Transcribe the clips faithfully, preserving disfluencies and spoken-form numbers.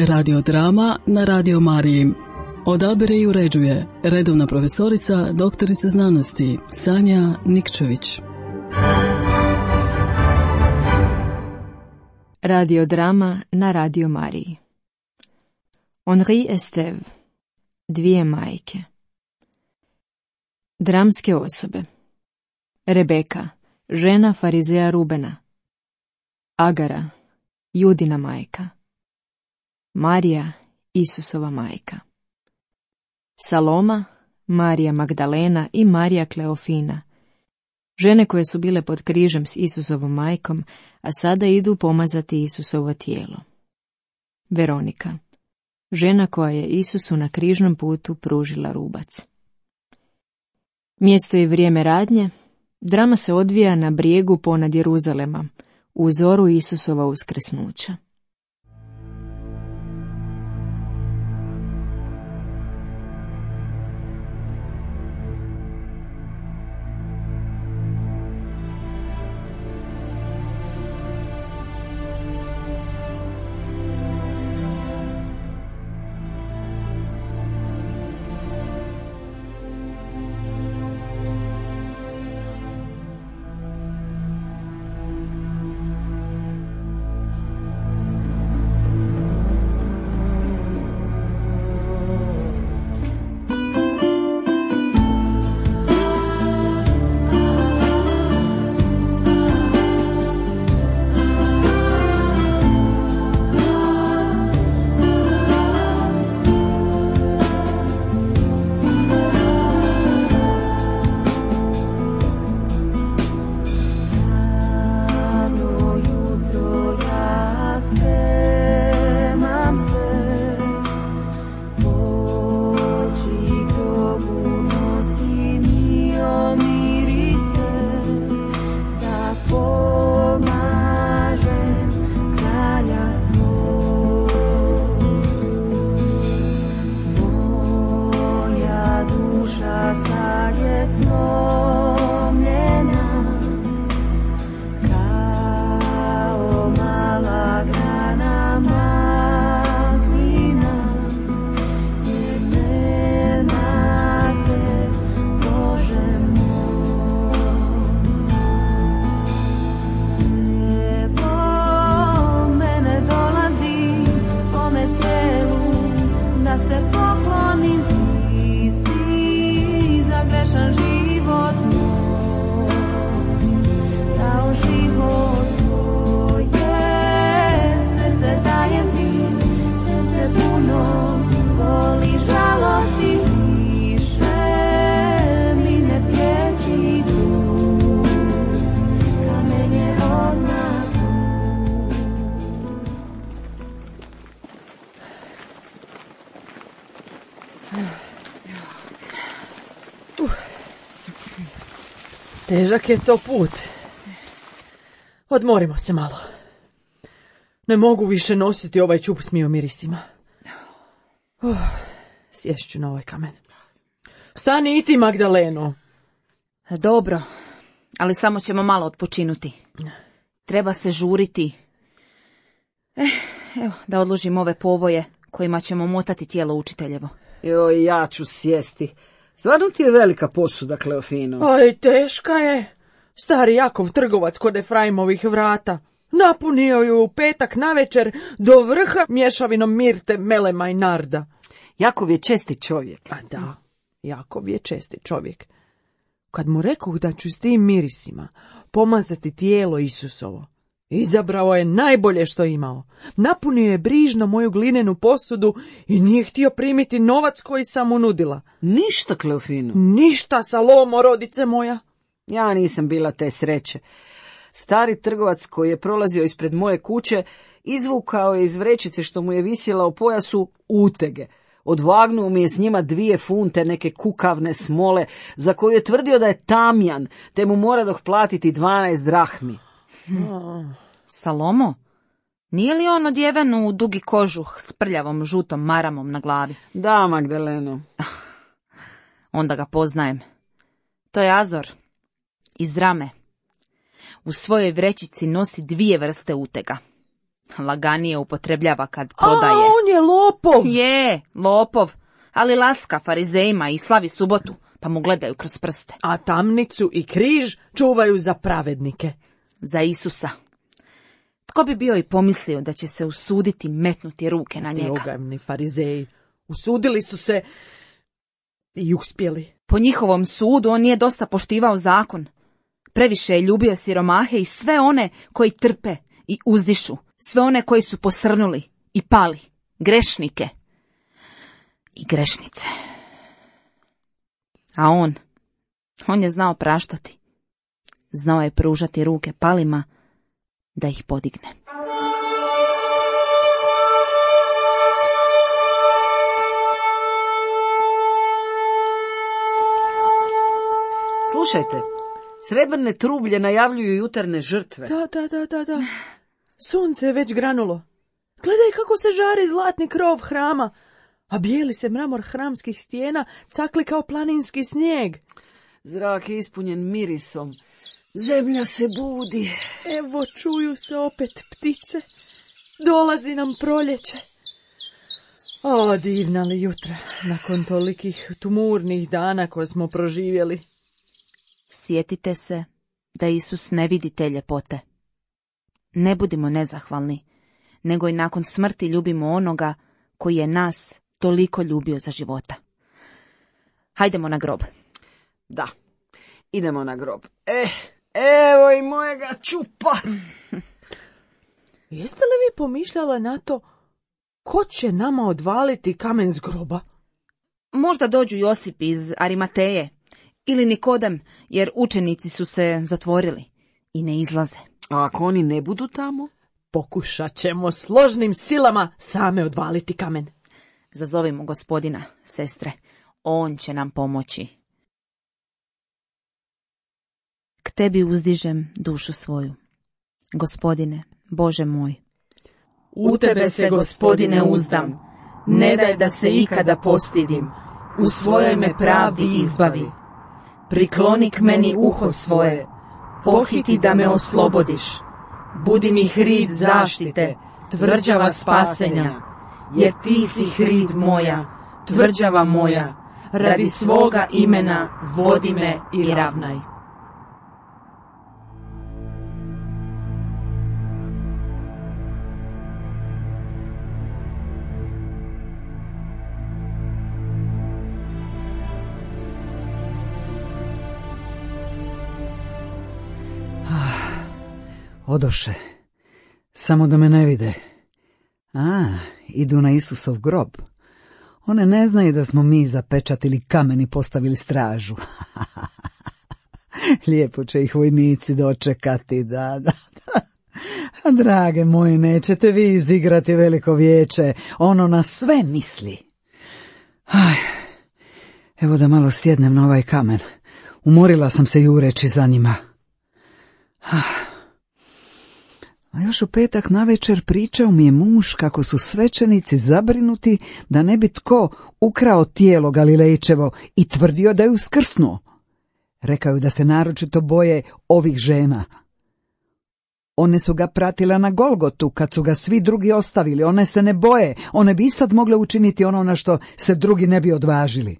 Radiodrama na Radio Mariji. Odabire i uređuje redovna profesorica, doktorica znanosti Sanja Nikčević. Radiodrama na Radio Mariji. Henri Estève. Dvije majke. Dramske osobe. Rebeka, žena farizeja Rubena. Agara, Judina majka. Marija, Isusova majka. Saloma, Marija Magdalena i Marija Kleofina, žene koje su bile pod križem s Isusovom majkom, a sada idu pomazati Isusovo tijelo. Veronika, žena koja je Isusu na križnom putu pružila rubac. Mjesto i vrijeme radnje, drama se odvija na brijegu ponad Jeruzalema, u zoru Isusova uskrsnuća. Težak je to put. Odmorimo se malo. Ne mogu više nositi ovaj čup s mirisima. Uh, sješću na ovaj kamen. Stani i ti, Magdaleno. Dobro, ali samo ćemo malo odpočinuti. Treba se žuriti. Eh, evo, da odložim ove povoje kojima ćemo motati tijelo učiteljevo. Joj, ja ću sjesti. Stvarno ti je velika posuda, Kleofino. Aj, teška je. Stari Jakov trgovac kod Efraimovih vrata napunio ju u petak navečer do vrha mješavinom mirte, melema i narda. Jakov je česti čovjek. A da, Jakov je česti čovjek. Kad mu rekoh da ću s tim mirisima pomazati tijelo Isusovo, izabrao je najbolje što imao. Napunio je brižno moju glinenu posudu i nije htio primiti novac koji sam mu nudila. Ništa, Kleofino. Ništa, Salomo, rodice moja. Ja nisam bila te sreće. Stari trgovac koji je prolazio ispred moje kuće izvukao je iz vrećice što mu je visjela u pojasu utege. Odvagnuo mi je s njima dvije funte neke kukavne smole za koju je tvrdio da je tamjan, te mu moradoh platiti dvanaest drahmi. Hmm. Salomo, nije li on odjeven u dugi kožuh s prljavom žutom maramom na glavi? Da, Magdaleno. Onda ga poznajem. To je Azor iz Rame. U svojoj vrećici nosi dvije vrste utega. laganije upotrebljava kad prodaje. A, on je lopov! Je, lopov, ali laska farizejima i slavi subotu, pa mu gledaju kroz prste. A tamnicu i križ čuvaju za pravednike. Za Isusa. Tko bi bio i pomislio da će se usuditi metnuti ruke na Ti njega? ogavni farizeji. Usudili su se i uspjeli. Po njihovom sudu on nije dosta poštivao zakon. Previše je ljubio siromahe i sve one koji trpe i uzdišu, sve one koji su posrnuli i pali, grešnike i grešnice. A on, on je znao praštati. Znao je pružati ruke palima da ih podigne. Slušajte, srebrne trublje najavljuju jutarnje žrtve. Da, da, da, da, da. Sunce je već granulo. Gledaj kako se žari zlatni krov hrama, a bijeli se mramor hramskih stijena cakli kao planinski snijeg. Zrak je ispunjen mirisom. Zemlja se budi. Evo čuju se opet ptice. Dolazi nam proljeće. O, divna li jutra, nakon tolikih tumurnih dana koje smo proživjeli. Sjetite se da Isus ne vidi te ljepote. Ne budimo nezahvalni, nego i nakon smrti ljubimo onoga koji je nas toliko ljubio za života. Hajdemo na grob. Da, idemo na grob. Eh, evo i mojega čupa. Jeste li vi pomišljala na to ko će nama odvaliti kamen s groba? Možda dođu Josip iz Arimateje ili Nikodem, jer učenici su se zatvorili i ne izlaze. A ako oni ne budu tamo? Pokušat ćemo složnim silama same odvaliti kamen. Zazovimo gospodina, sestre, on će nam pomoći. K tebi uzdižem dušu svoju, gospodine, Bože moj. U tebe se, gospodine, uzdam, ne daj da se ikada postidim, u svojoj me pravdi izbavi. Prikloni k meni uho svoje, pohiti da me oslobodiš, budi mi hrid zaštite, tvrđava spasenja, jer ti si hrid moja, tvrđava moja, radi svoga imena vodi me i ravnaj. Odoše, samo da me ne vide. A, idu na Isusov grob. One ne znaju da smo mi zapečatili kamen i postavili stražu. Lijepo će ih vojnici dočekati, da, da, da. A drage moji, nećete vi izigrati veliko vijeće, ono na sve misli. Aj, evo da malo sjednem na ovaj kamen. Umorila sam se jureći za njima. Ah. A još u petak navečer pričao mi je muž kako su svećenici zabrinuti da ne bi tko ukrao tijelo Galilejčevo i tvrdio da je uskrsnuo. Rekao je da se naročito boje ovih žena. One su ga pratile na Golgotu kad su ga svi drugi ostavili, one se ne boje, one bi sad mogle učiniti ono na što se drugi ne bi odvažili.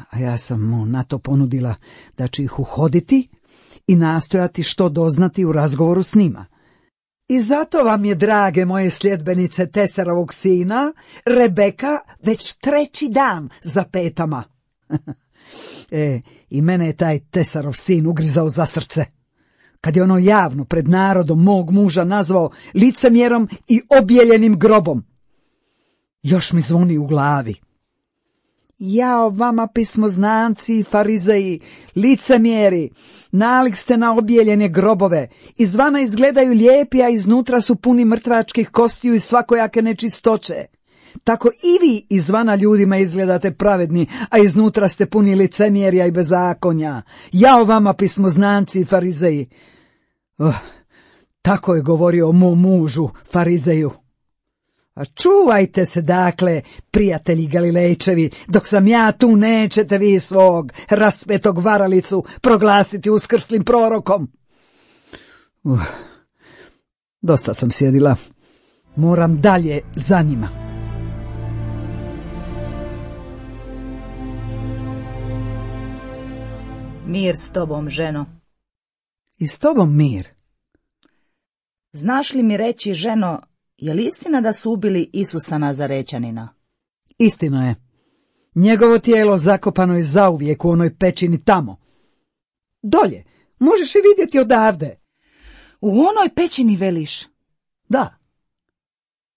A ja sam mu na to ponudila da ću ih uhoditi i nastojati što doznati u razgovoru s njima. I zato vam je, drage moje sljedbenice Tesarovog sina, Rebeka već treći dan za petama. E, i mene je taj Tesarov sin ugrizao za srce, kad je ono javno pred narodom mog muža nazvao licemjerom i objeljenim grobom. Još mi zvoni u glavi. Jao vama pismoznanci i farizeji, licemjeri, nalik ste na objeljene grobove, izvana izgledaju lijepi, a iznutra su puni mrtvačkih kostiju i svakojake nečistoće. Tako i vi izvana ljudima izgledate pravedni, a iznutra ste puni licemjerja i bezakonja. Jao vama pismoznanci i farizeji. Oh, tako je govorio o mom mužu, farizeju. A čuvajte se, dakle, prijatelji Galilejčevi, dok sam ja tu, nećete vi svog raspetog varalicu proglasiti uskrslim prorokom. Uh, Dosta sam sjedila. Moram dalje za njima. Mir s tobom, ženo. I s tobom mir. Znaš li mi reći, ženo, je li istina da su ubili Isusa Nazarećanina? Istina je. Njegovo tijelo zakopano je zauvijek u onoj pećini tamo. Dolje, možeš je vidjeti odavde. U onoj pećini, veliš? Da.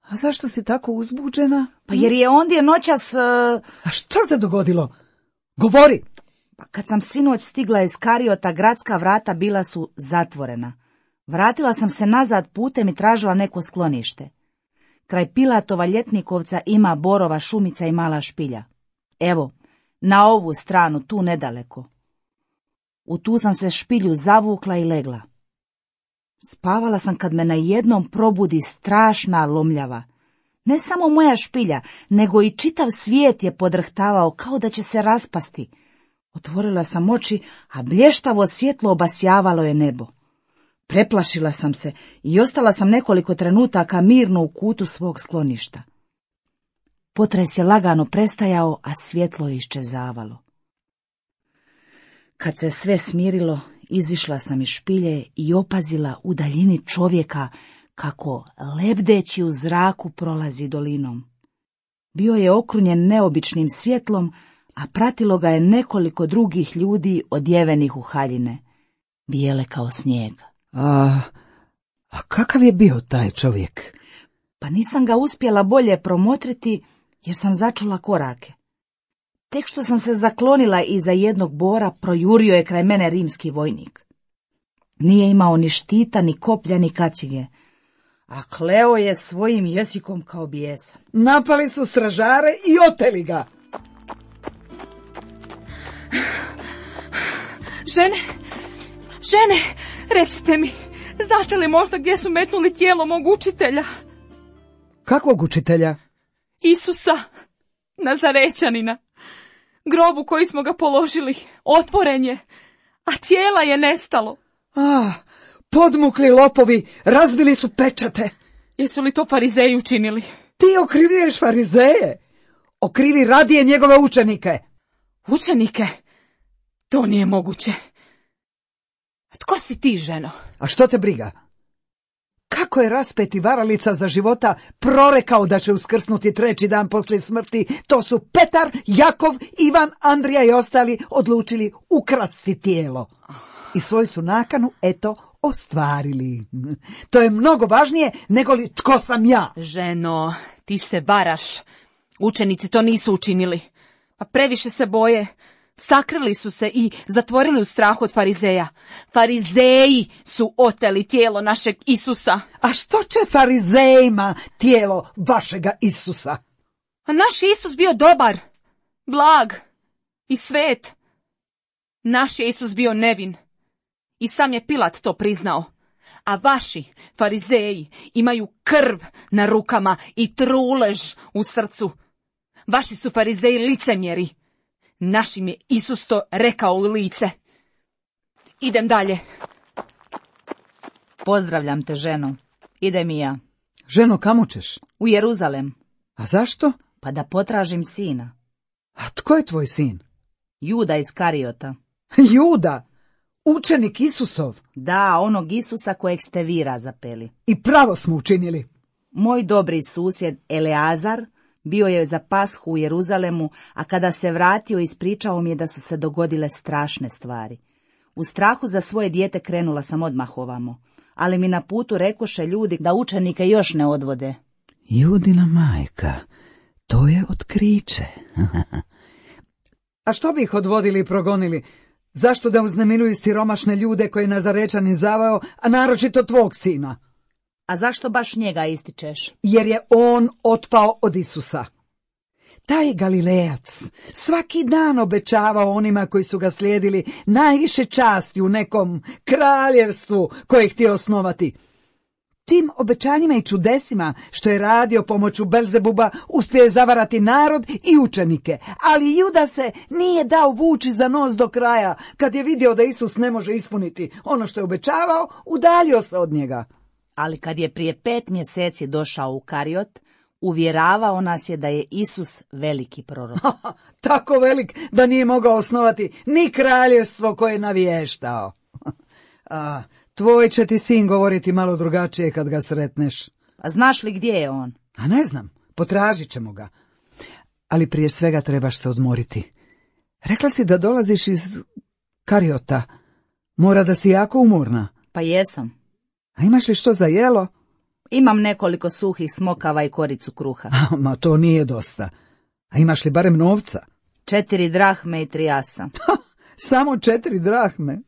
A zašto si tako uzbuđena? Pa jer je ondje noćas... Uh... A što se dogodilo? Govori! Pa kad sam sinoć stigla iz Kariota, gradska vrata bila su zatvorena. Vratila sam se nazad putem i tražila neko sklonište. Kraj Pilatova Ljetnikovca ima borova šumica i mala špilja. Evo, na ovu stranu, tu nedaleko. U tu sam se špilju zavukla i legla. Spavala sam kad me na jednom probudi strašna lomljava. Ne samo moja špilja, nego i čitav svijet je podrhtavao kao da će se raspasti. Otvorila sam oči, a blještavo svjetlo obasjavalo je nebo. Preplašila sam se i ostala sam nekoliko trenutaka mirno u kutu svog skloništa. Potres je lagano prestajao, a svjetlo je iščezavalo. Kad se sve smirilo, izišla sam iz špilje i opazila u daljini čovjeka kako lebdeći u zraku prolazi dolinom. Bio je okrunjen neobičnim svjetlom, a pratilo ga je nekoliko drugih ljudi odjevenih u haljine, bijele kao snijeg. A, a kakav je bio taj čovjek? Pa nisam ga uspjela bolje promotriti, jer sam začula korake. Tek što sam se zaklonila iza jednog bora, projurio je kraj mene rimski vojnik. Nije imao ni štita, ni koplja, ni kacige, a kleo je svojim jezikom kao bijesan. Napali su stražare i oteli ga. Žene, žene, recite mi, znate li možda gdje su metnuli tijelo mog učitelja? Kakvog učitelja? Isusa Nazarećanina. Grobu koji smo ga položili, otvoren je, a tijela je nestalo. Ah, podmukli lopovi, razbili su pečate. Jesu li to farizeji učinili? Ti okrivljuješ farizeje? Okrivi radije njegove učenike. Učenike? To nije moguće. Tko si ti, ženo? A što te briga? Kako je raspeti varalica za života prorekao da će uskrsnuti treći dan poslije smrti, to su Petar, Jakov, Ivan, Andrija i ostali odlučili ukrasti tijelo. I svoju su nakanu, eto, ostvarili. To je mnogo važnije nego li tko sam ja. Ženo, ti se varaš. Učenici to nisu učinili. A previše se boje. Sakrili su se i zatvorili u strahu od farizeja. Farizeji su oteli tijelo našeg Isusa. A što će farizejima tijelo vašega Isusa? A naš Isus bio dobar, blag i svet. Naš je Isus bio nevin. I sam je Pilat to priznao. A vaši farizeji imaju krv na rukama i trulež u srcu. Vaši su farizeji licemjeri. Našim je Isus to rekao u lice. Idem dalje. Pozdravljam te, ženo. Idem i ja. Ženo, kamo ćeš? U Jeruzalem. A zašto? Pa da potražim sina. A tko je tvoj sin? Juda iz Kariota. Juda? Učenik Isusov? Da, onog Isusa kojeg ste vi razapeli. I pravo smo učinili. Moj dobri susjed Eleazar bio je za Pashu u Jeruzalemu, a kada se vratio ispričao mi je da su se dogodile strašne stvari. U strahu za svoje dijete krenula sam odmah ovamo, ali mi na putu rekoše ljudi da učenike još ne odvode. Judina majka, to je otkriće. A što bi ih odvodili i progonili? Zašto da uznemiruju siromašne ljude koje je Nazarećanin zavao, a naročito tvog sina? A zašto baš njega ističeš? Jer je on otpao od Isusa. Taj Galilejac svaki dan obećavao onima koji su ga slijedili najviše časti u nekom kraljevstvu koje je htio osnovati. Tim obećanjima i čudesima što je radio pomoću Belzebuba uspio je zavarati narod i učenike, ali Juda se nije dao vući za nos do kraja. Kad je vidio da Isus ne može ispuniti ono što je obećavao, udaljio se od njega. Ali kad je prije pet mjeseci došao u Kariot, uvjeravao nas je da je Isus veliki prorok. Tako velik da nije mogao osnovati ni kraljevstvo koje je navještao. A, tvoj će ti sin govoriti malo drugačije kad ga sretneš. A znaš li gdje je on? A ne znam, potražit ćemo ga. Ali prije svega trebaš se odmoriti. Rekla si da dolaziš iz Kariota. Mora da si jako umorna. Pa jesam. A imaš li što za jelo? Imam nekoliko suhih smokava i koricu kruha. Ma to nije dosta. A imaš li barem novca? Četiri drahme i tri asa. Samo četiri drahme?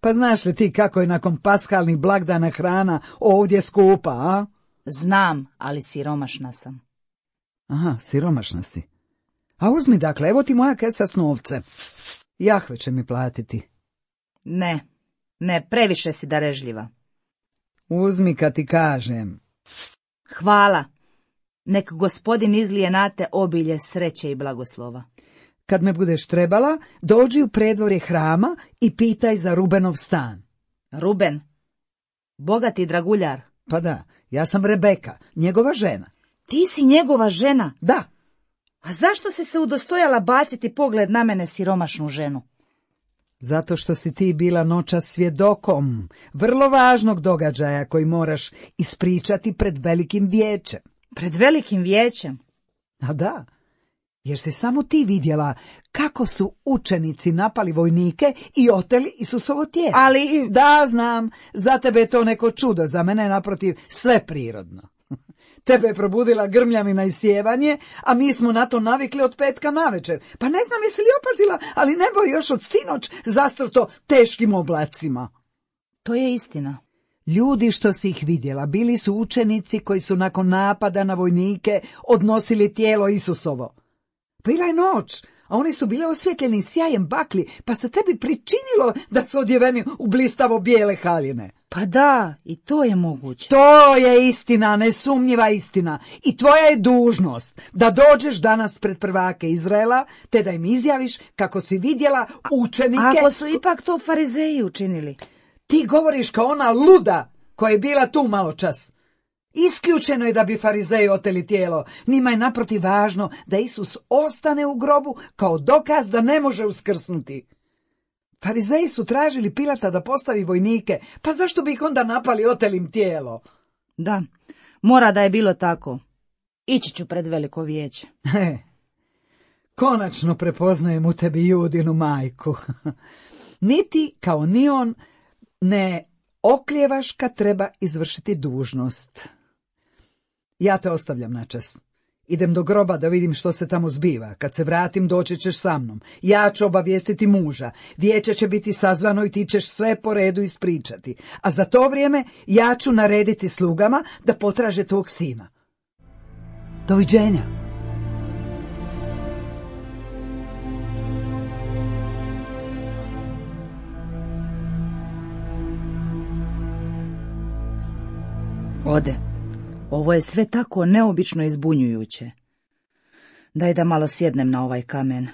Pa znaš li ti kako je nakon paskalnih blagdana hrana ovdje skupa, a? Znam, ali siromašna sam. Aha, siromašna si. A uzmi dakle, evo ti moja kesa s novcem. Jahve će mi platiti. Ne, ne, previše si darežljiva. Uzmi kad ti kažem. Hvala. Nek gospodin izlije na te obilje sreće i blagoslova. Kad me budeš trebala, dođi u predvorje hrama i pitaj za Rubenov stan. Ruben? Bogati draguljar? Pa da, ja sam Rebeka, njegova žena. Ti si njegova žena? Da. A zašto si se udostojala baciti pogled na mene, siromašnu ženu? Zato što si ti bila noćas svjedokom vrlo važnog događaja koji moraš ispričati pred velikim vijećem. Pred velikim vijećem? A da, jer si samo ti vidjela kako su učenici napali vojnike i oteli Isusovo tijelo. Ali... Da, znam, za tebe je to neko čudo, za mene je naprotiv sve prirodno. Tebe je probudila grmljavina i sjevanje, a mi smo na to navikli od petka navečer. Pa ne znam jesi li opazila, ali nebo je još od sinoć zastrto teškim oblacima. To je istina. Ljudi što si ih vidjela bili su učenici koji su nakon napada na vojnike odnosili tijelo Isusovo. Bila je noć, a oni su bili osvjetljeni sjajem bakli, pa se tebi pričinilo da su odjeveni u blistavo bijele haljine. Pa da, i to je moguće. To je istina, nesumnjiva istina. I tvoja je dužnost da dođeš danas pred prvake Izraela, te da im izjaviš kako si vidjela učenike... A ako su ipak to farizeji učinili? Ti govoriš kao ona luda koja je bila tu malo čas. Isključeno je da bi farizeji oteli tijelo. Njima je naprotiv važno da Isus ostane u grobu kao dokaz da ne može uskrsnuti. Farizeji su tražili Pilata da postavi vojnike, pa zašto bi ih onda napali, oteli im tijelo? Da, mora da je bilo tako. Ići ću pred veliko vijeće. He, konačno prepoznajem u tebi Judinu majku. Niti, kao ni on, ne okljevaš kad treba izvršiti dužnost. Ja te ostavljam načas. Idem do groba da vidim što se tamo zbiva. Kad se vratim, doći ćeš sa mnom. Ja ću obavijestiti muža. Vijeće će biti sazvano i ti ćeš sve po redu ispričati. A za to vrijeme ja ću narediti slugama da potraže tvog sina. Doviđenja. Ode. Ovo je sve tako neobično i zbunjujuće. Daj da malo sjednem na ovaj kamen.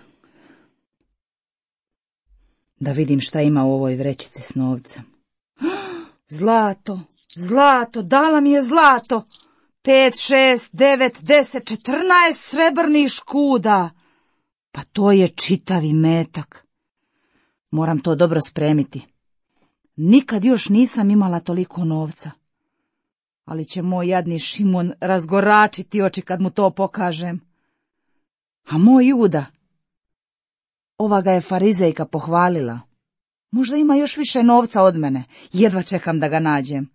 Da vidim šta ima u ovoj vrećici s novcem. Zlato, zlato, dala mi je zlato. Pet, šest, devet, deset, četrnaest srebrnih škuda. Pa to je čitavi metak. Moram to dobro spremiti. Nikad još nisam imala toliko novca. Ali će moj jadni Šimon razgoračiti oči kad mu to pokažem. A moj Juda, ova ga je farizejka pohvalila. Možda ima još više novca od mene, jedva čekam da ga nađem.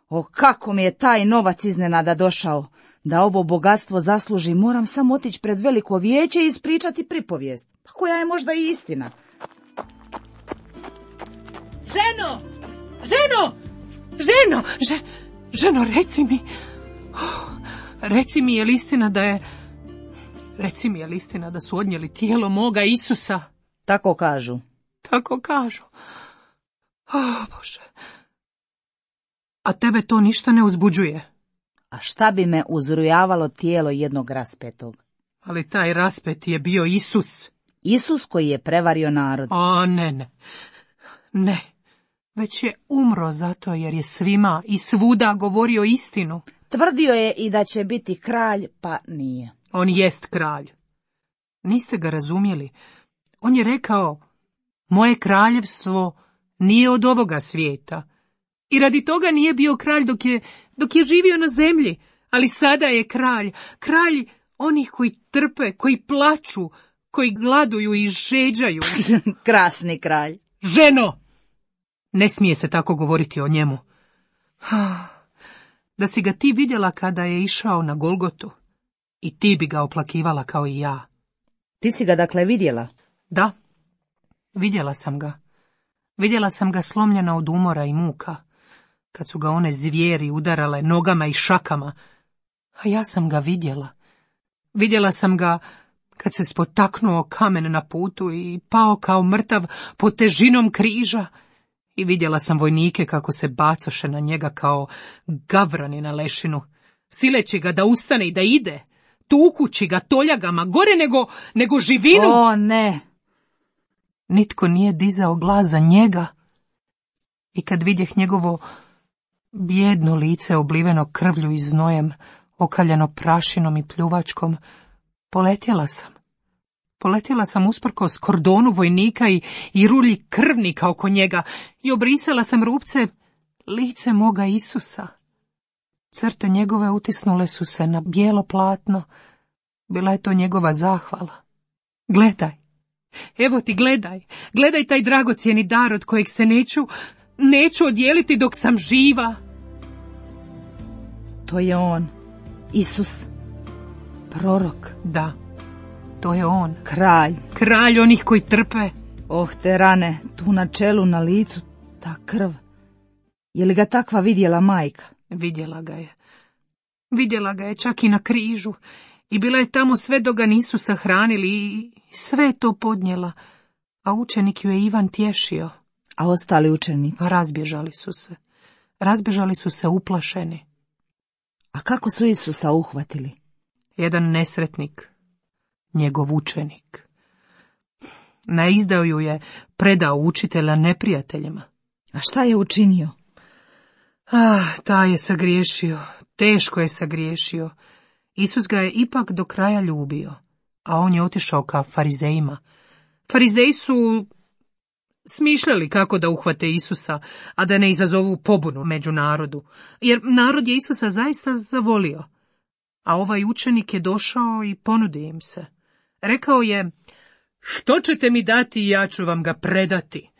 O, kako mi je taj novac iznenada došao. Da ovo bogatstvo zasluži, moram samo otići pred veliko vijeće i ispričati pripovijest, pa koja je možda i istina. Ženo! Ženo! Ženo! Že... Ženo, reci mi, reci mi je li istina da je, reci mi je li istina da su odnijeli tijelo moga Isusa? Tako kažu. Tako kažu. O, Bože. A tebe to ništa ne uzbuđuje? A šta bi me uzrujavalo tijelo jednog raspetog? Ali taj raspet je bio Isus. Isus koji je prevario narod. A ne, ne, ne. već je umro zato jer je svima i svuda govorio istinu. Tvrdio je i da će biti kralj, pa nije. On jest kralj. Niste ga razumjeli. On je rekao, moje kraljevstvo nije od ovoga svijeta. I radi toga nije bio kralj dok je, dok je živio na zemlji, ali sada je kralj. Kralj onih koji trpe, koji plaču, koji gladuju i žeđaju. Krasni kralj. Ženo! Ne smije se tako govoriti o njemu. Da si ga ti vidjela kada je išao na Golgotu, i ti bi ga oplakivala kao i ja. Ti si ga dakle vidjela? Da, vidjela sam ga. Vidjela sam ga slomljena od umora i muka, kad su ga one zvijeri udarale nogama i šakama. A ja sam ga vidjela. Vidjela sam ga kad se spotaknuo kamen na putu i pao kao mrtav pod težinom križa. I vidjela sam vojnike kako se bacoše na njega kao gavrani na lešinu, sileći ga da ustane i da ide, tukući ga toljagama, gore nego, nego živinu. O, ne! Nitko nije dizao glas za njega. I kad vidjeh njegovo bijedno lice obliveno krvlju i znojem, okaljeno prašinom i pljuvačkom, poletjela sam. Poletjela sam usprkos kordonu vojnika i, i rulji krvnika oko njega i obrisala sam rupce lice moga Isusa. Crte njegove utisnule su se na bijelo platno. Bila je to njegova zahvala. Gledaj, evo ti gledaj, gledaj taj dragocjeni dar od kojeg se neću, neću odijeliti dok sam živa. To je on, Isus, prorok. Da. To je on. Kralj. Kralj onih koji trpe. Oh, te rane, tu na čelu, na licu, ta krv. Je li ga takva vidjela majka? Vidjela ga je. Vidjela ga je čak i na križu. I bila je tamo sve dok ga nisu sahranili i sve je to podnijela. A učenik ju je Ivan tješio. A ostali učenici? Razbježali su se. Razbježali su se uplašeni. A kako su Isusa uhvatili? Jedan nesretnik. Njegov učenik. Na izdaju je predao učitelja neprijateljima. A šta je učinio? Ah, taj je sagriješio, teško je sagriješio. Isus ga je ipak do kraja ljubio, a on je otišao ka farizejima. Farizeji su smišljali kako da uhvate Isusa, a da ne izazovu pobunu među narodu, jer narod je Isusa zaista zavolio. A ovaj učenik je došao i ponudio im se. Rekao je, što ćete mi dati i ja ću vam ga predati.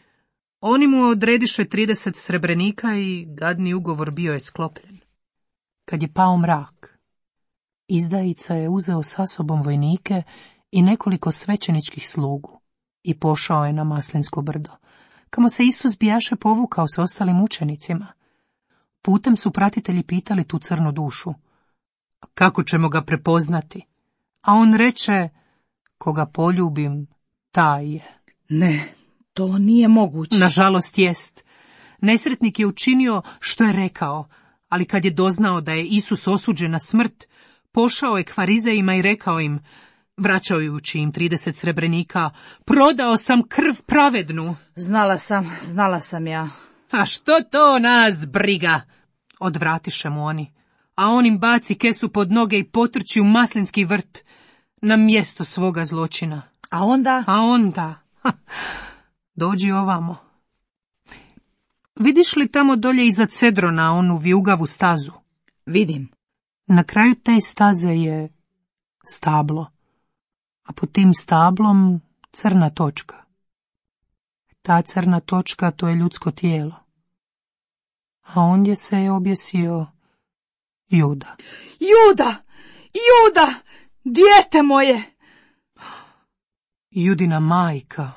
Oni mu odrediše trideset srebrenika i gadni ugovor bio je sklopljen. Kad je pao mrak, izdajica je uzeo sa sobom vojnike i nekoliko svećeničkih slugu i pošao je na Maslinsko brdo, kamo se Isus bijaše povukao s ostalim učenicima. Putem su pratitelji pitali tu crnu dušu, kako ćemo ga prepoznati? A on reče, koga poljubim, taj je. Ne, to nije moguće. Nažalost jest. Nesretnik je učinio što je rekao, ali kad je doznao da je Isus osuđen na smrt, pošao je k farizejima i rekao im, vraćajući im trideset srebrenika, prodao sam krv pravednu. Znala sam, znala sam ja. A što to nas briga? Odvratiše mu oni. A on im baci kesu pod noge i potrči u maslinski vrt na mjesto svoga zločina. A onda? A onda? Ha, dođi ovamo. Vidiš li tamo dolje iza Cedrona onu vijugavu stazu? Vidim. Na kraju te staze je stablo, a pod tim stablom crna točka. Ta crna točka to je ljudsko tijelo. A ondje se je objesio Juda. Juda! Juda! Dijete moje! Judina majka.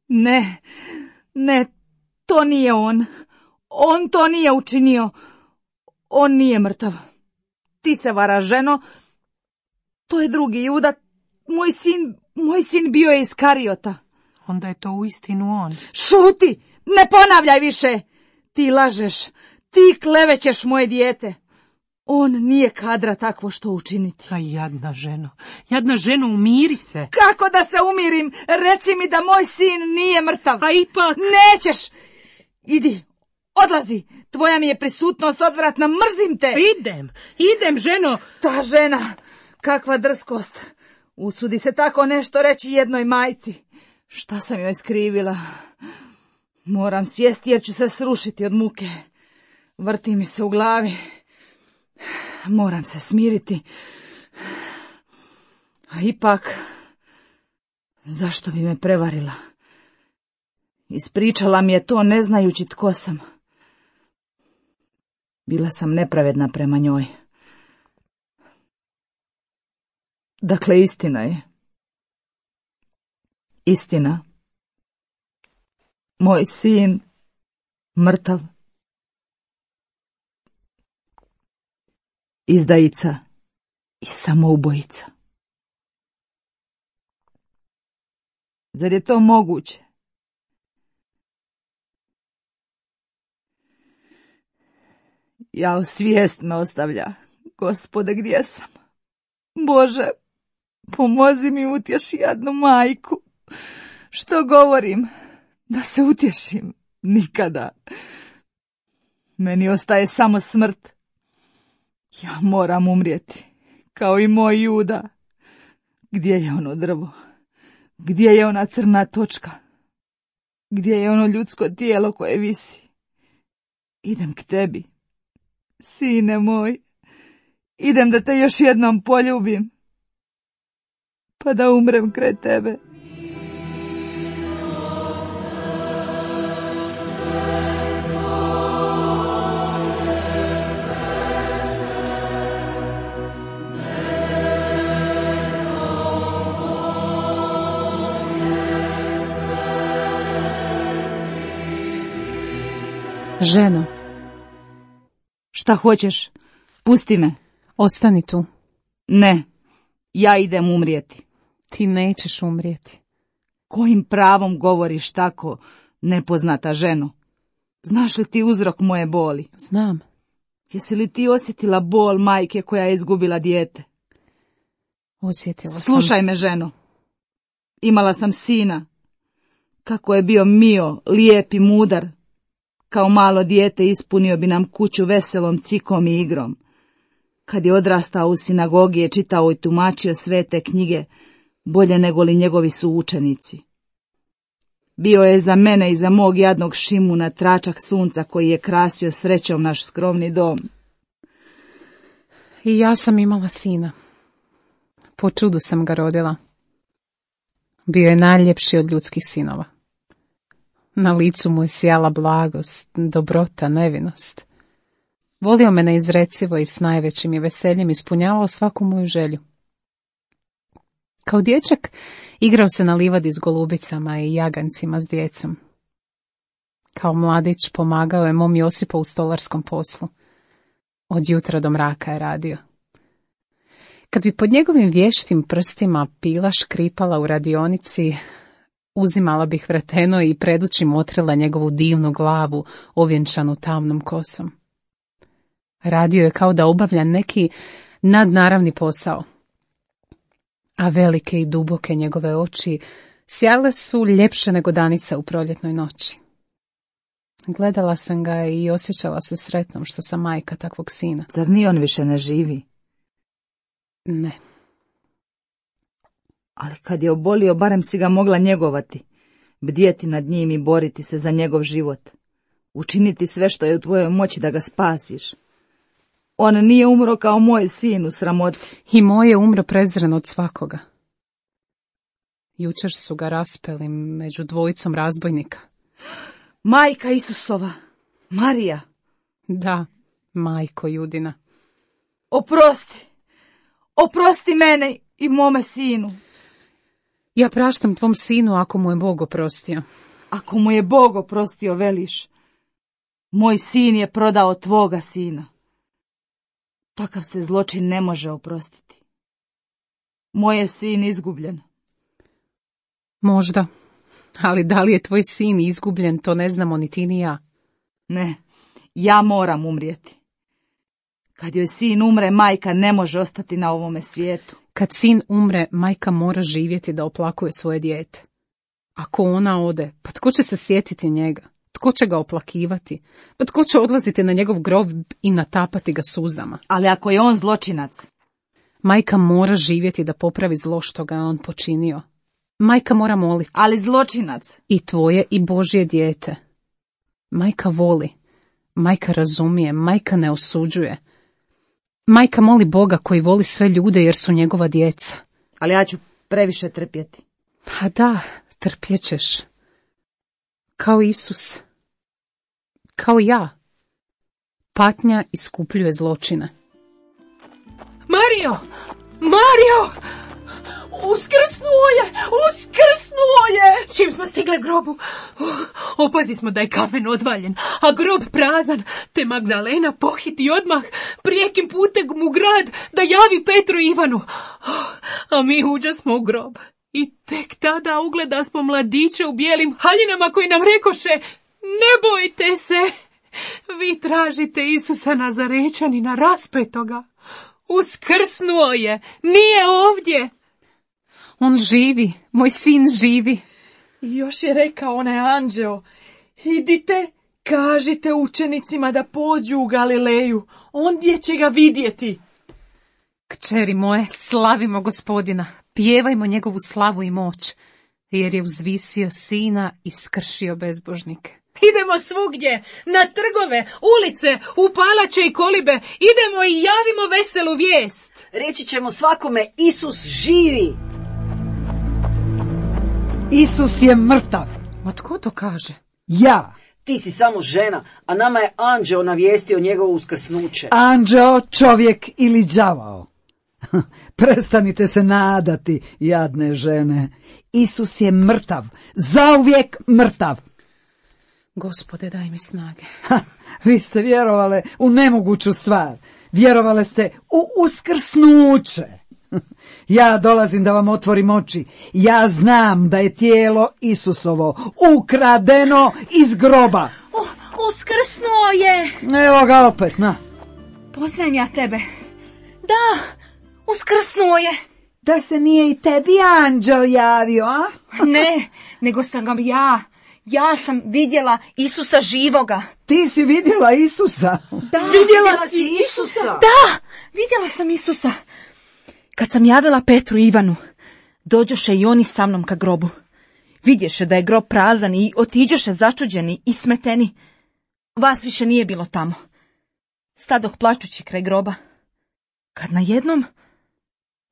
Ne, ne, to nije on. On to nije učinio. On nije mrtav. Ti se varaš, ženo. To je drugi Juda. Moj sin, moj sin bio je iz Kariota. Onda je to uistinu on. Šuti! Ne ponavljaj više! Ti lažeš. Ti klevećeš moje dijete. On nije kadra takvo što učiniti. A jadna ženo, jadna ženo, umiri se. Kako da se umirim? Reci mi da moj sin nije mrtav. A ipak... Nećeš! Idi, odlazi, tvoja mi je prisutnost odvratna, mrzim te. Idem, idem, ženo. Ta žena, kakva drskost. Usudi se tako nešto reći jednoj majci. Šta sam joj skrivila? Moram sjesti jer ću se srušiti od muke. Vrti mi se u glavi. Moram se smiriti. A ipak, zašto bi me prevarila? Ispričala mi je to ne znajući tko sam. Bila sam nepravedna prema njoj. Dakle, istina je. Istina. Moj sin mrtav. Izdajica i samoubojica. Zar je to moguće? Jao, svijest me ostavlja. Gospode, gdje sam? Bože, pomozi mi, utješi jadnu majku. Što govorim? Da se utješim? Nikada. Meni ostaje samo smrt. Ja moram umrijeti, kao i moj Juda. Gdje je ono drvo? Gdje je ona crna točka? Gdje je ono ljudsko tijelo koje visi? Idem k tebi, sine moj. Idem da te još jednom poljubim, pa da umrem kraj tebe. Ženo. Šta hoćeš? Pusti me. Ostani tu. Ne, ja idem umrijeti. Ti nećeš umrijeti. Kojim pravom govoriš tako, nepoznata ženo? Znaš li ti uzrok moje boli? Znam. Jesi li ti osjetila bol majke koja je izgubila dijete? Osjetila sam. Slušaj me, ženo. Imala sam sina. Kako je bio mio, lijep i mudar. Kao malo dijete ispunio bi nam kuću veselom cikom i igrom. Kad je odrastao u sinagogi je čitao i tumačio svete knjige, bolje nego li njegovi su učenici. Bio je za mene i za mog jadnog Šimuna tračak sunca koji je krasio srećom naš skromni dom. I ja sam imala sina. Po čudu sam ga rodila. Bio je najljepši od ljudskih sinova. Na licu mu je sjala blagost, dobrota, nevinost. Volio me neizrecivo i s najvećim je veseljem ispunjavao svaku moju želju. Kao dječak igrao se na livadi s golubicama i jagancima s djecom. Kao mladić pomagao je mom Josipu u stolarskom poslu. Od jutra do mraka je radio. Kad bi pod njegovim vještim prstima pila škripala u radionici, uzimala bih vreteno i predući motrila njegovu divnu glavu ovjenčanu tamnom kosom. Radio je kao da obavlja neki nadnaravni posao, a velike i duboke njegove oči sjale su ljepše nego danica u proljetnoj noći. Gledala sam ga i osjećala se sretnom što sam majka takvog sina. Zar ni on više ne živi? Ne. Ali kad je obolio, barem si ga mogla njegovati, bdjeti nad njim i boriti se za njegov život. Učiniti sve što je u tvojoj moći da ga spasiš. On nije umro kao moj sin u sramoti. I moj je umro prezren od svakoga. Jučer su ga raspeli među dvojicom razbojnika. Majka Isusova, Marija. Da, majko Judina. Oprosti, oprosti mene i mome sinu. Ja praštam tvom sinu ako mu je Bog oprostio. Ako mu je Bog oprostio, veliš. Moj sin je prodao tvoga sina. Takav se zločin ne može oprostiti. Moj je sin izgubljen. Možda, ali da li je tvoj sin izgubljen, to ne znamo ni ti ni ja. Ne, ja moram umrijeti. Kad joj sin umre, majka ne može ostati na ovome svijetu. Kad sin umre, majka mora živjeti da oplakuje svoje dijete. Ako ona ode, pa tko će se sjetiti njega? tko će ga oplakivati? Pa tko će odlaziti na njegov grob i natapati ga suzama? Ali ako je on zločinac? Majka mora živjeti da popravi zlo što ga je on počinio. Majka mora moliti. Ali zločinac? I tvoje i Božje dijete. Majka voli. Majka razumije. Majka ne osuđuje. Majka moli Boga koji voli sve ljude jer su njegova djeca. Ali ja ću previše trpjeti. Pa da, trpjećeš. Kao Isus. Kao ja. Patnja iskupljuje zločine. Mario! Mario! Uskrsnuo je! Uskrsnuo je! Čim smo stigle grobu, opazi smo da je kamen odvaljen, a grob prazan, te Magdalena pohiti odmah prijekim putem u grad da javi Petru i Ivanu. A mi uđasmo u grob. I tek tada ugleda smo mladiće u bijelim haljinama koji nam rekoše: ne bojte se, vi tražite Isusa Nazarečanina raspetoga. Uskrsnuo je, nije ovdje. On živi, moj sin živi. I još je rekao onaj anđeo: idite, kažite učenicima da pođu u Galileju, ondje će ga vidjeti. Kćeri moje, slavimo Gospodina, pjevajmo njegovu slavu i moć, jer je uzvisio sina i skršio bezbožnike. Idemo svugdje, na trgove, ulice, u palače i kolibe, idemo i javimo veselu vijest. Reći ćemo svakome: Isus živi. Isus je mrtav. Ma tko to kaže? Ja. Ti si samo žena, a nama je anđeo navijestio njegovo uskrsnuće. Anđeo, čovjek ili đavao. Prestanite se nadati, jadne žene. Isus je mrtav, zauvijek mrtav. Gospode, daj mi snage. Ha, vi ste vjerovale u nemoguću stvar. Vjerovale ste u uskrsnuće. Ja dolazim da vam otvorim oči. Ja znam da je tijelo Isusovo ukradeno iz groba. Uh, uskrsnuo je. Evo ga opet, na. Poznajem ja tebe. Da, uskrsnuo je. Da se nije i tebi anđel javio, a? Ne, nego sam ga ja. Ja sam vidjela Isusa živoga. Ti si vidjela Isusa? Da, vidjela si Isusa? Da, vidjela sam Isusa. Kad sam javila Petru i Ivanu, dođoše i oni sa mnom ka grobu. Vidješe da je grob prazan i otiđoše začuđeni i smeteni. Vas više nije bilo tamo. Stadoh plačući kraj groba. Kad najednom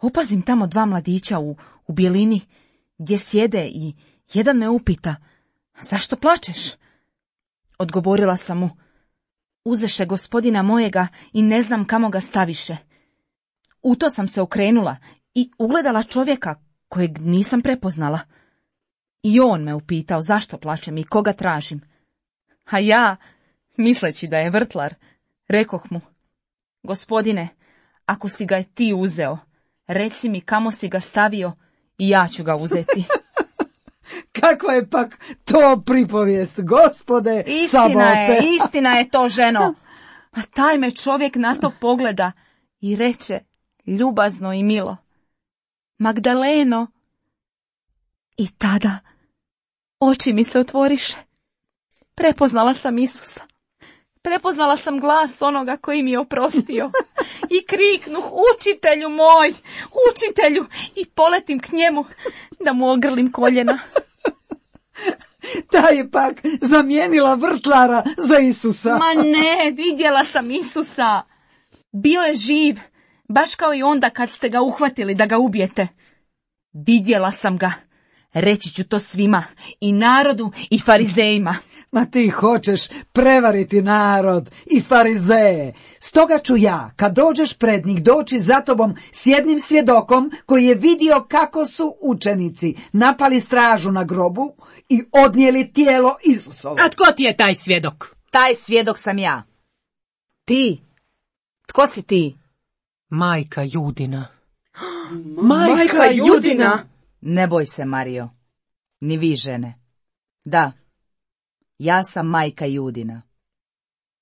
opazim tamo dva mladića u, u bijelini gdje sjede i jedan me upita: zašto plačeš? Odgovorila sam mu: uzeše Gospodina mojega i ne znam kamo ga staviše. U to sam se okrenula i ugledala čovjeka kojeg nisam prepoznala. I on me upitao zašto plačem i koga tražim. A ja, misleći da je vrtlar, rekoh mu: Gospodine, ako si ga ti uzeo, reci mi kamo si ga stavio i ja ću ga uzeti. Kakva je pak to pripovijest, Gospode, istina sabote. je, istina je to, ženo. Pa taj me čovjek na to pogleda i reče ljubazno i milo: Magdaleno. I tada oči mi se otvoriše. Prepoznala sam Isusa. Prepoznala sam glas onoga koji mi je oprostio. I kriknuh: učitelju moj, učitelju, i poletim k njemu da mu ogrlim koljena. Ta je pak zamijenila vrtlara za Isusa. Ma ne, vidjela sam Isusa. Bio je živ, baš kao i onda kad ste ga uhvatili da ga ubijete. Vidjela sam ga. Reći ću to svima, i narodu i farizejima. Ma ti hoćeš prevariti narod i farizeje. Stoga ću ja, kad dođeš pred njih, doći za tobom s jednim svjedokom koji je vidio kako su učenici napali stražu na grobu i odnijeli tijelo Isusovo. A tko ti je taj svjedok? Taj svjedok sam ja. Ti? Tko si ti? Majka Judina. Majka, Majka Judina? Ne boj se, Mario. Ni vi, žene. Da, ja sam majka Judina.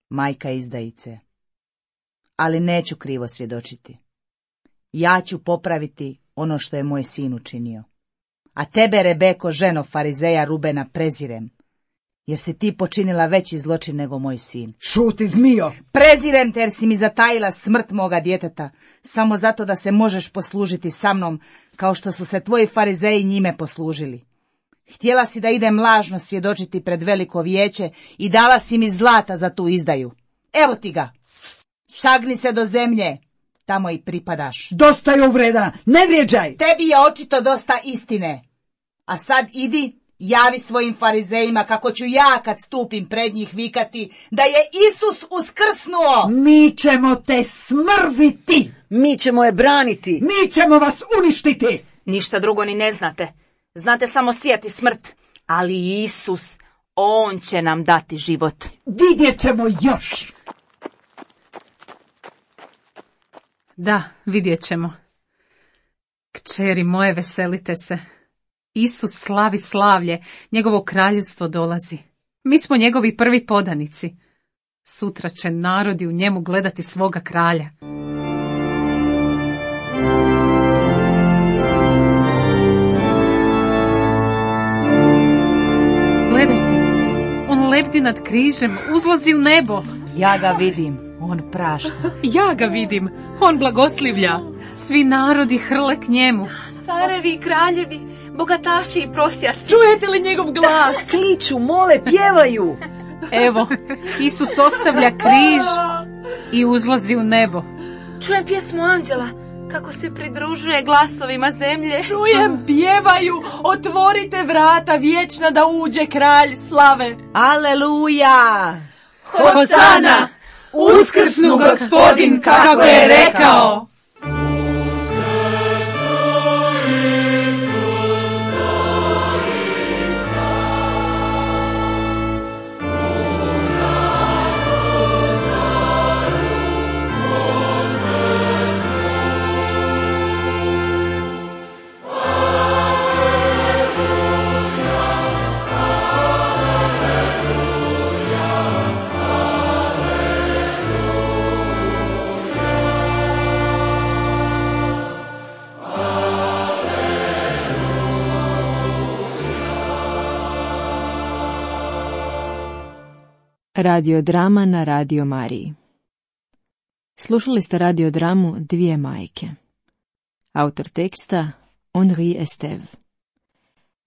Majka izdajice. Ali neću krivo svjedočiti. Ja ću popraviti ono što je moj sin učinio. A tebe, Rebeko, ženo farizeja Rubena, prezirem. jer si ti počinila veći zločin nego moj sin. Šuti, zmijo! Prezirem te jer si mi zatajila smrt moga djeteta, samo zato da se možeš poslužiti sa mnom, kao što su se tvoji farizeji njime poslužili. Htjela si da idem lažno svjedočiti pred veliko vijeće i dala si mi zlata za tu izdaju. Evo ti ga. Sagni se do zemlje, tamo i pripadaš. Dosta je uvreda, ne vrijeđaj! Tebi je očito dosta istine. A sad idi, javi svojim farizejima kako ću ja kad stupim pred njih vikati da je Isus uskrsnuo. Mi ćemo te smrviti! Mi ćemo je braniti! Mi ćemo vas uništiti! Ništa drugo ni ne znate. Znate samo sijati smrt. Ali Isus, on će nam dati život. Vidjet ćemo još! Da, vidjet ćemo. Kćeri moje, veselite se. Isus slavi slavlje, njegovo kraljevstvo dolazi. Mi smo njegovi prvi podanici. Sutra će narodi u njemu gledati svoga kralja. Gledajte, on lebdi nad križem, uzlazi u nebo. Ja ga vidim, on prašta. Ja ga vidim, on blagoslivlja. Svi narodi hrle k njemu. Carevi i kraljevi, bogataši i prosjaci. Čujete li njegov glas? Kliču, mole, pjevaju! Evo, Isus ostavlja križ i uzlazi u nebo. Čujem pjesmu anđela, kako se pridružuje glasovima zemlje. Čujem, pjevaju, otvorite vrata vječna da uđe kralj slave. Aleluja! Hosana! Uskrsnu Gospodin kako je rekao! Radiodrama na Radio Mariji. Slušali ste radiodramu Dvije majke. Autor teksta Henri Estève.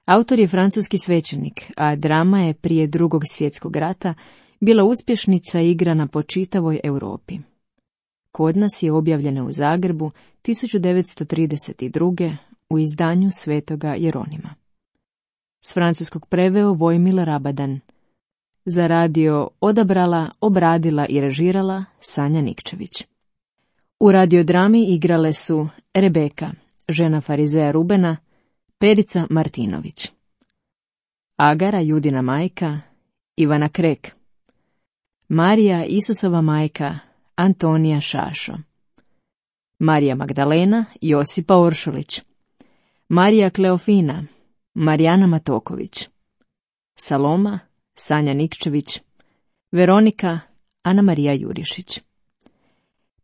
Autor je francuski svećenik, a drama je prije drugog svjetskog rata bila uspješnica igrana po čitavoj Europi. Kod nas je objavljena u Zagrebu tisuću devetsto trideset druge. u izdanju Svetoga Jeronima. S francuskog preveo Vojmil Rabadan. Za radio odabrala, obradila i režirala Sanja Nikčević. U radiodrami igrale su Rebeka, žena farizeja Rubena, Perica Martinović, Agara, Judina majka, Ivana Krek, Marija, Isusova majka, Antonija Šašo, Marija Magdalena, Josipa Oršulić, Marija Kleofina, Marijana Matoković, Saloma, Sanja Nikčević, Veronika, Ana Marija Jurišić.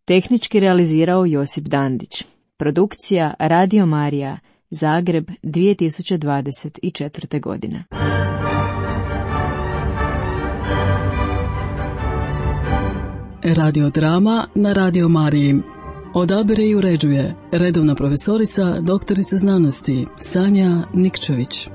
Tehnički realizirao Josip Dandić. Produkcija Radio Marija, Zagreb, dvije tisuće dvadeset četvrte. godine. Radiodrama na Radio Mariji. Odabire i uređuje redovna profesorica, doktorica znanosti Sanja Nikčević.